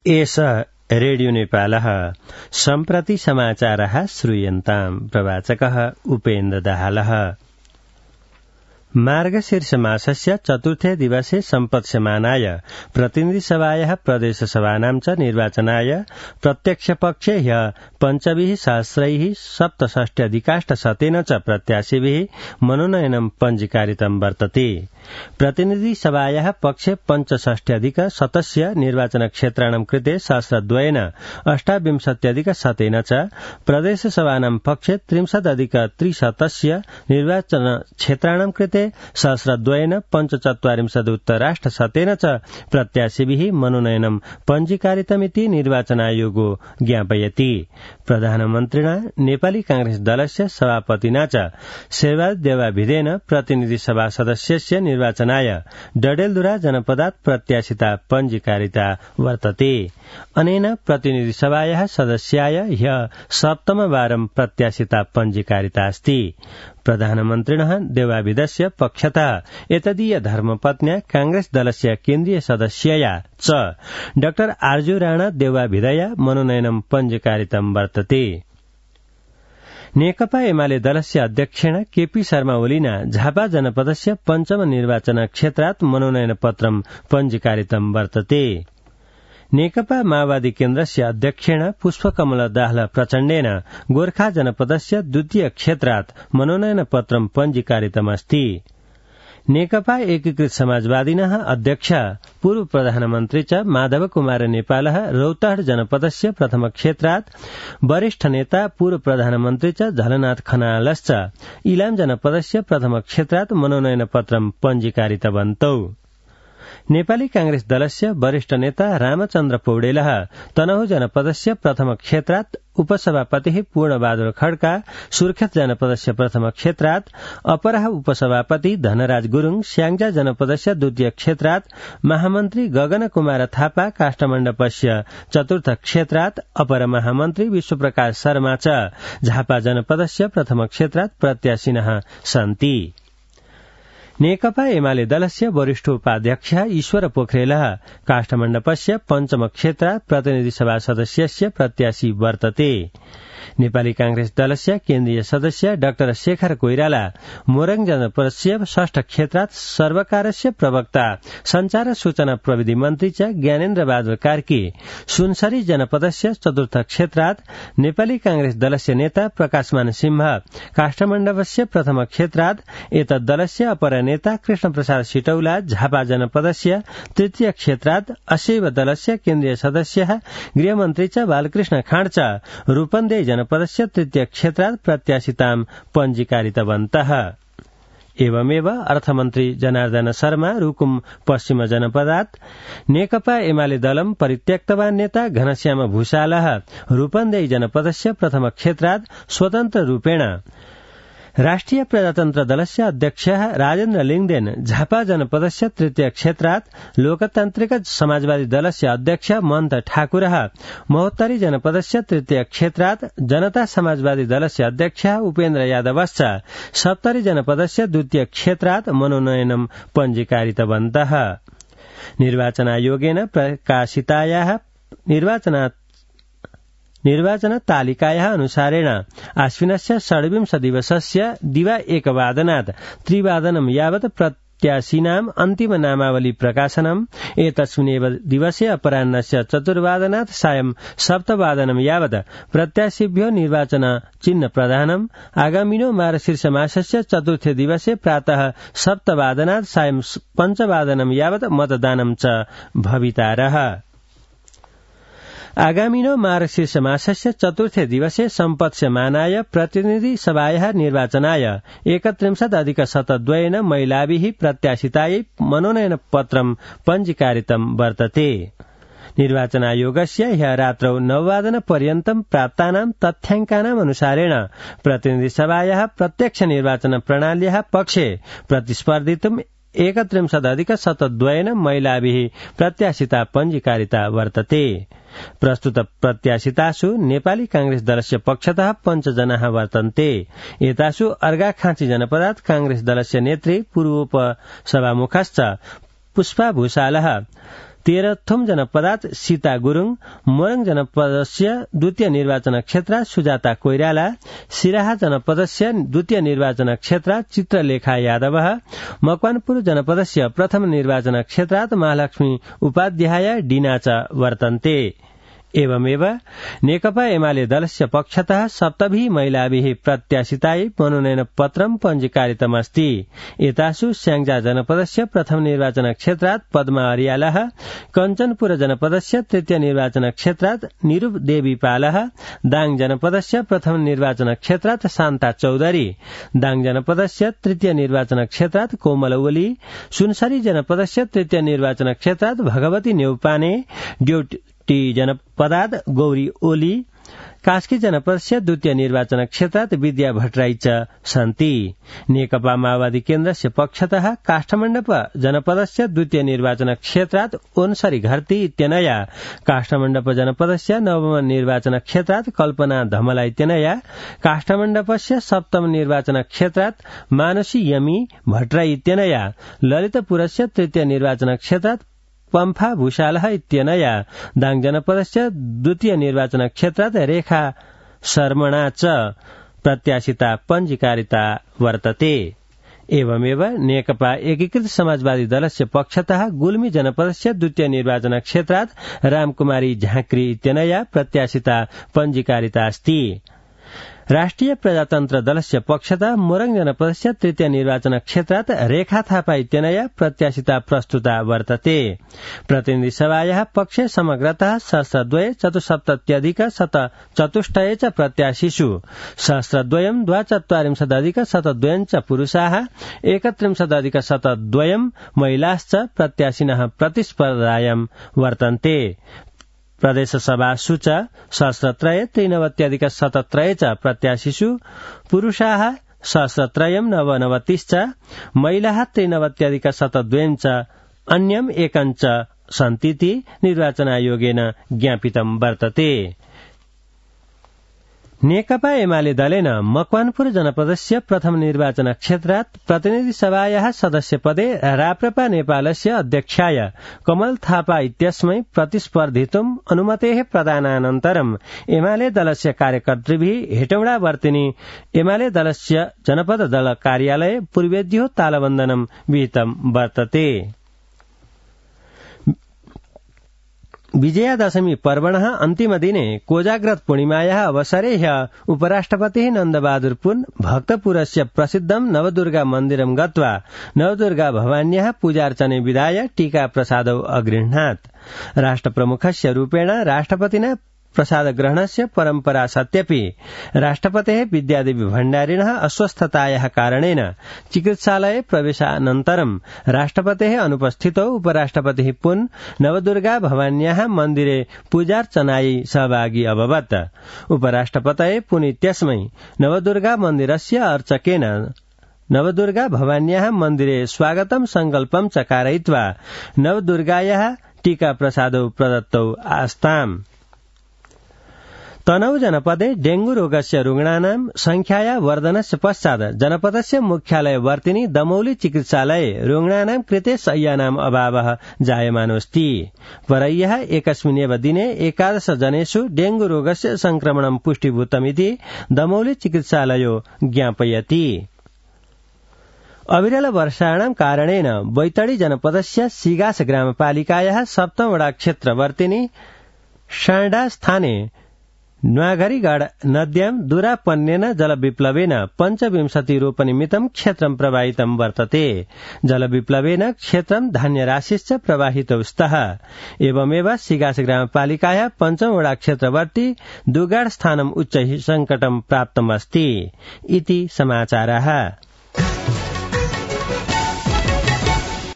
एष रेडियो नेपालः सम्प्रति समाचारः श्रूयन्ताम्। प्रवाचकः उपेन्द्र दाहालः। मार्गशीर्ष मासस्य चतुर्थे दिवसे सम्पत्स्यमानाय प्रतिनिधिसभायाः प्रदेशसभानां च निर्वाचनाय प्रत्यक्षपक्षे ह्यः 5,767 च प्रत्याशिभिः मनोनयनं पञ्जीकारितं वर्तते। प्रतिनिधिसभायाः पक्षे 65,100 निर्वाचनक्षेत्राणां कृते 2,827 च प्रदेशसभानां पक्षे 30,300 निर्वाचनक्षेत्राणां कृते 2,45 च प्रत्याशिभिः मनोनयनं पञ्जीकारितमिति निर्वाचनायोगो ज्ञापयति। प्रधानमन्त्रिणा नेपाली कांग्रेस दलस्य सभापतिना च शेरबहादुर देउवाभिधेन प्रतिनिधिसभा सदस्यस्य निर्वाचनाय डडेलधुरा जनपदात् प्रत्याशिता पञ्जीकारिता वर्तते। अनेन प्रतिनिधिसभायाः सदस्याय ह्यः सप्तमवारं प्रत्याशिता पञ्जीकारिता अस्ति। प्रधानमन्त्रिणः देउवाभिधस्य पक्षतः एतदीय धर्मपत्न्या कांग्रेस दलस्य केन्द्रीय सदस्यया च डाक्टर आर्जु राणा देउवाभिधया मनोनयनं पञ्जीकारितं वर्तते। नेकपा एमाले दलस्य अध्यक्षेण केपी शर्मा ओलीना झापा जनपदस्य पञ्चम निर्वाचन क्षेत्रात् मनोनयनपत्रं पञ्जीकारितं वर्तते। नेकपा माओवादी केन्द्रस्य अध्यक्षेण पुष्पकमल दाहाल प्रचण्डेन गोर्खा जनपदस्य द्वितीय क्षेत्रात् मनोनयनपत्रं पञ्जीकारितमस्ति। नेकपा एकीकृत समाजवादिनः अध्यक्ष पूर्व प्रधानमन्त्री च माधव कुमार नेपालः रौतहट जनपदस्य प्रथम क्षेत्रात्, वरिष्ठ नेता पूर्व प्रधानमन्त्री च झलनाथ खनालश्च इलाम जनपदस्य प्रथम क्षेत्रात् मनोनयनपत्रं पञ्जीकारितवन्तौ। नेपाली कांग्रेस दलस्य वरिष्ठ नेता रामचन्द्र पौडेलः तनहु जनपदस्य प्रथम क्षेत्रात्, उपसभापतिः पूर्णबहादुर खड्का सुर्खेत जनपदस्य प्रथम क्षेत्रात्, अपरः उपसभापति धनराज गुरूङ स्याङ्जा जनपदस्य द्वितीय क्षेत्रात्, महामन्त्री गगन कुमार थापा काष्ठमण्डपस्य चतुर्थ क्षेत्रात्, अपर महामन्त्री विश्वप्रकाश शर्मा च झापा जनपदस्य प्रथम क्षेत्रात् प्रत्याशिनः सन्ति। नेकपा एमाले दलस्य वरिष्ठ उपाध्यक्ष ईश्वर पोखरेलः काष्ठमण्डपस्य पञ्चम क्षेत्रात् प्रतिनिधिसभा सदस्यस्य प्रत्याशी वर्तते। नेपाली कांग्रेस दलस्य केन्द्रीय सदस्य डाक्टर शेखर कोइराला मोरङ जनपदस्य षष्ठ क्षेत्रात्, सर्वकारस्य प्रवक्ता संचार सूचना प्रविधि मन्त्री च ज्ञानेन्द्र बहादुर कार्की सुनसरी जनपदस्य चतुर्थ क्षेत्रात्, नेपाली कांग्रेस दलस्य नेता प्रकाशमान सिंह काष्ठमण्डपस्य प्रथम क्षेत्रात्, एतद्दलस्य अपर नेता कृष्ण प्रसाद सिटौला झापा जनपदस्य तृतीय क्षेत्रात्, अशैव दलस्य केन्द्रीय सदस्य गृहमन्त्री च बालकृष्ण खाँड च रूपन्देही जनपदस्य तृतीय क्षेत्रात् प्रत्याशितां पञ्जीकारितवन्तः। एवमेव अर्थमन्त्री जनार्दन शर्मा रुकुम पश्चिम जनपदात्, नेकपा एमाले दलं परित्यक्तवान नेता घनश्याम भूषालः रूपन्देही जनपदस्य प्रथम क्षेत्रात् स्वतन्त्र रूपेण, राष्ट्रिय प्रजातन्त्र दलस्य अध्यक्ष राजेन्द्र लिङदेन झापा जनपदस्य तृतीय क्षेत्रात्, लोकतान्त्रिक समाजवादी दलस्य अध्यक्ष महन्त ठाकुरः महोत्तरी जनपदस्य तृतीय क्षेत्रात्, जनता समाजवादी दलस्य अध्यक्ष उपेन्द्र यादवश्च सप्तरी जनपदस्य द्वितीय क्षेत्रात् मनोनयनं पञ्जीकारितवन्तः। निर्वाचनायोगेन प्रकाशितायाः निर्वाचन तालिकायाः अनुसारेण आश्विनस्य षड्विंश दिवसस्य दिवा 1 वादनात् 3 वादनं यावत् प्रत्याशिनाम् अन्तिम नामावली प्रकाशनम्, एतस्मिन्नेव दिवसे अपराह्नस्य 4 वादनात् सायं 7 वादनं यावत् प्रत्याशिभ्यो निर्वाचन चिह्न प्रदानम्, आगामिनो मार्गशीर्ष मासस्य चतुर्थे दिवसे प्रातः 7 वादनात् सायं 5 वादनं यावत् मतदानं च भवितारः। आगामिनो मार्गशीर्ष मासस्य चतुर्थे दिवसे सम्पत्स्यमानाय प्रतिनिधि सभायाः निर्वाचनाय 31,702 महिलाभिः प्रत्याशितायै मनोनयनपत्रं पञ्जीकारितं वर्तते। निर्वाचनायोगस्य ह्यः रात्रौ 9 वादनपर्यन्तं प्राप्तानां तथ्याङ्कानाम् अनुसारेण प्रतिनिधि सभायाः प्रत्यक्ष निर्वाचन प्रणाल्याः पक्षे प्रतिस्पर्धितुम् 31,702 महिलाभिः प्रत्याशिता पञ्जीकारिता वर्तते। प्रस्तुत प्रत्याशितासु नेपाली कांग्रेस दलस्य पक्षतः 5 जनाः वर्तन्ते। एतासु अर्घाखाँची जनपदात् कांग्रेस दलस्य नेत्री पूर्वोपसभामुखश्च पुष्पा भूषालः, तेह्रथुम जनपदात् सीता गुरुङ, मोरङ जनपदस्य द्वितीय निर्वाचन क्षेत्र सुजाता कोइराला, सिराहा जनपदस्य द्वितीय निर्वाचन क्षेत्र चित्रलेखा यादव, मकवानपुर जनपदस्य प्रथम निर्वाचन क्षेत्रात् महालक्ष्मी उपाध्याय डिना च वर्तन्ते। एवमेव नेकपा एमाले दलस्य पक्षतः सप्तभिः महिलाभिः प्रत्याशितायै मनोनयन पत्रं पञ्जीकारितमस्ति। एतासु स्याङ्जा जनपदस्य प्रथम निर्वाचन क्षेत्रात् पद्मा अर्यालः, कञ्चनपुर जनपदस्य तृतीय निर्वाचन क्षेत्रात् निरूप देवी पालः, दाङ जनपदस्य प्रथम निर्वाचन क्षेत्रात् शान्ता चौधरी, दाङ जनपदस्य तृतीय निर्वाचन क्षेत्रात् कोमल ओली, सुनसरी जनपदस्य तृतीय निर्वाचन क्षेत्रात् भगवती नेउपाने, ड्युटी जनपदात् गौरी ओली, कास्की जनपदस्य द्वितीय निर्वाचन क्षेत्रात् विद्या भट्टराई च सन्ति। नेकपा माओवादी केन्द्रस्य पक्षतः काष्ठमण्डप जनपदस्य द्वितीय निर्वाचन क्षेत्रात् ओन्सरी घरती इत्यनया, काष्ठमण्डप जनपदस्य नवम निर्वाचन क्षेत्रात् कल्पना धमला इत्यनया, काष्ठमण्डपस्य सप्तम निर्वाचन क्षेत्रात् मानसी यमी भट्टराई इत्यनया, ललितपुरस्य तृतीय निर्वाचन क्षेत्रात् पम्फा भूषालः इत्यनया, दाङ जनपदस्य द्वितीय निर्वाचन क्षेत्रात् रेखा शर्मणा च प्रत्याशिता पञ्जीकारिता वर्तते। एवमेव नेकपा एकीकृत समाजवादी दलस्य पक्षतः गुल्मी जनपदस्य द्वितीय निर्वाचन क्षेत्रात् रामकुमारी झाँक्री इत्यनया प्रत्याशिता पञ्जीकारिता अस्ति। राष्ट्रिय प्रजातन्त्र दलस्य पक्षतः मोरङ जनपदस्य तृतीय निर्वाचन क्षेत्रात् रेखा थापा इत्यनया प्रत्याशिता प्रस्तुता वर्तते। प्रतिनिधि सभायाः पक्षे समग्रतः सहस्रद्वय चतुस्सप्तत्यधिक शतचतुष्टये च प्रत्याशिषु सहस्रद्वयं द्वाचत्वारिंशदधिक शतद्वयं च पुरुषाः, 31अधिक शतद्वयं महिलाश्च प्रत्याशिनः प्रतिस्पर्धायां वर्तन्ते। प्रदेशसभासु च सहस्रत्रय 93 शतत्रय च प्रत्याशिषु पुरुषाः सहस्रत्रयं 99 च, महिलाः 93 शतद्वयं च, अन्यम् एकं च सन्तीति निर्वाचन आयोगेन ज्ञापितं वर्तते। नेकपा एमाले दलेन मकवानपुर जनपदस्य प्रथम निर्वाचन क्षेत्रात् प्रतिनिधि सभायाः सदस्यपदे राप्रपा नेपालस्य अध्यक्षाय कमल थापा इत्यस्मै प्रतिस्पर्धितुम् अनुमतेः प्रदानानन्तरम् एमाले दलस्य कार्यकर्तृभिः हेटौडा वर्तिनी एमाले दलस्य जनपद दल कार्यालये पूर्वेद्यो तालबन्दनं विहितं वर्तते। विजयादशमी पर्वणः अन्तिमदिने कोजाग्रत पूर्णिमायाः अवसरे ह्यः उपराष्ट्रपतिः नन्दबहादुर पुन भक्तपुरस्य प्रसिद्धं नवदुर्गा मन्दिरं गत्वा नवदुर्गा भवान्याः पूजार्चने विधाय टीका प्रसादौ अगृह्णात्। राष्ट्रप्रमुखस्य रूपेण राष्ट्रपतिना प्रसादग्रहणस्य परम्परा सत्यपि राष्ट्रपतेः विद्यादेवी भण्डारिणः अस्वस्थतायाः कारणेन चिकित्सालये प्रवेशानन्तरं राष्ट्रपतेः अनुपस्थितौ उपराष्ट्रपतिः पुन नवदुर्गा भवान्याः मन्दिरे पूजार्चनायै सहभागी अभवत्। उपराष्ट्रपतये पुन इत्यस्मै नवदुर्गा मन्दिरस्य अर्चकेन नवदुर्गा भवान्याः मन्दिरे स्वागतं संकल्पं च कारयित्वा नवदुर्गायाः टीका प्रसादौ प्रदत्तौ आस्ताम्। तनहु जनपदे डेंगू रोगस्य रुग्णानां संख्याया वर्धनस्य पश्चात् जनपदस्य मुख्यालय वर्तिनी दमौली चिकित्सालये रुग्णानां कृते शय्यानाम् अभावः जायमानोऽस्ति। परह्यः एकस्मिन्नेव दिने 11 जनेषु डेंगू रोगस्य संक्रमणं पुष्टिभूतमिति दमौली चिकित्सालयो ज्ञापयति। अविरल वर्षाणां कारणेन बैतडी जनपदस्य सिगास ग्रामपालिकायाः सप्तम वडा क्षेत्रवर्तिनी शाण्डा स्थाने न्वाघरीगढ नद्यां दुरापन्नेन जलविप्लवेन 25 रोपनिमित्तं क्षेत्रं प्रवाहितं वर्तते। जलविप्लवेन क्षेत्रं धान्यराशिश्च प्रवाहितौ स्तः। एवमेव सिगास ग्रामपालिकायाः पञ्चम वडा क्षेत्रवर्ती दुगाड स्थानम् उच्च संकटं प्राप्तमस्ति इति समाचारः।